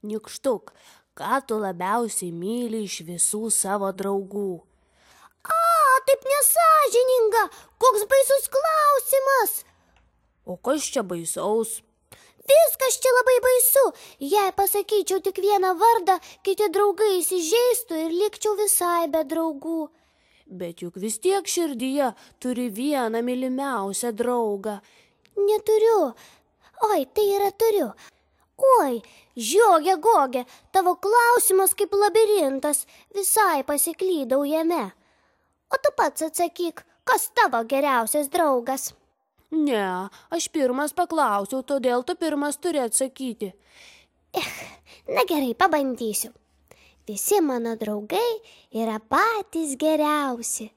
Nykštuk, ką tu labiausiai myli iš visų savo draugų? Taip nesąžininga, koks baisus klausimas. O kas čia baisaus? Viskas čia labai baisu. Jei pasakyčiau tik vieną vardą, kiti draugai įsižeistų ir likčiau visai be draugų. Bet juk vis tiek širdyje turi vieną mylimiausią draugą. Neturiu. Oi, tai yra turiu. Oi, žiogė gogė, tavo klausimas kaip labirintas, visai pasiklydau jame. O tu pats atsakyk, kas tavo geriausias draugas? Ne, aš pirmas paklausiau, todėl tu pirmas turi atsakyti. Na gerai, pabandysiu. Visi mano draugai yra patys geriausi.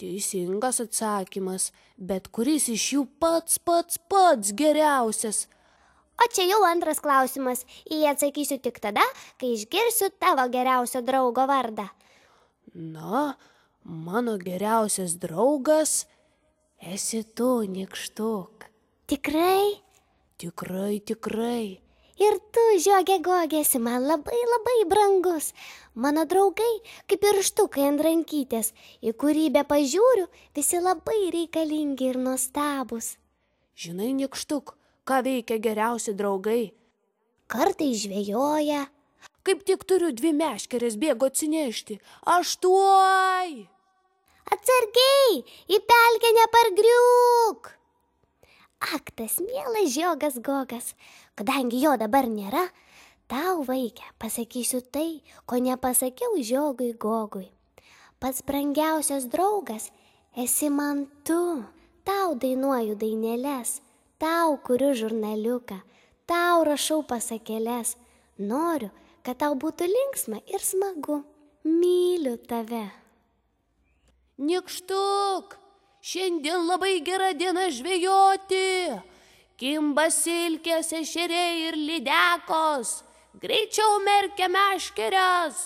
Teisingas atsakymas, bet kuris iš jų pats geriausias? O čia jau antras klausimas. Į jį atsakysiu tik tada, kai išgirsiu tavo geriausio draugo vardą. Na, mano geriausias draugas esi tu, Nykštuk. Tikrai? Tikrai. Ir tu, žiogė gogė, esi man labai brangus. Mano draugai kaip pirštukai ant rankytės, į kurį be pažiūriu, visi labai reikalingi ir nuostabūs. Žinai, Nykštuk, ką veikia geriausi draugai? Kartais žvejoja. Kaip tik turiu 2 meškerės, bėgu atsinešti. Aš tuoj! Atsargiai, į pelkę nepargriūk. Ak, tas mielas žiogas gogas, kadangi jo dabar nėra, tau, vaikė, pasakysiu tai, ko nepasakiau žiogui gogui. Pats brangiausias draugas esi man tu. Tau dainuoju dainėles, tau kuriu žurnaliuką, tau rašau pasakėles. Noriu, kad tau būtų linksma ir smagu. Myliu tave. Nykštuk, šiandien labai gera diena žvejoti. Kimba silkės, ešeriai ir lydekos. Greičiau merkia meškeres.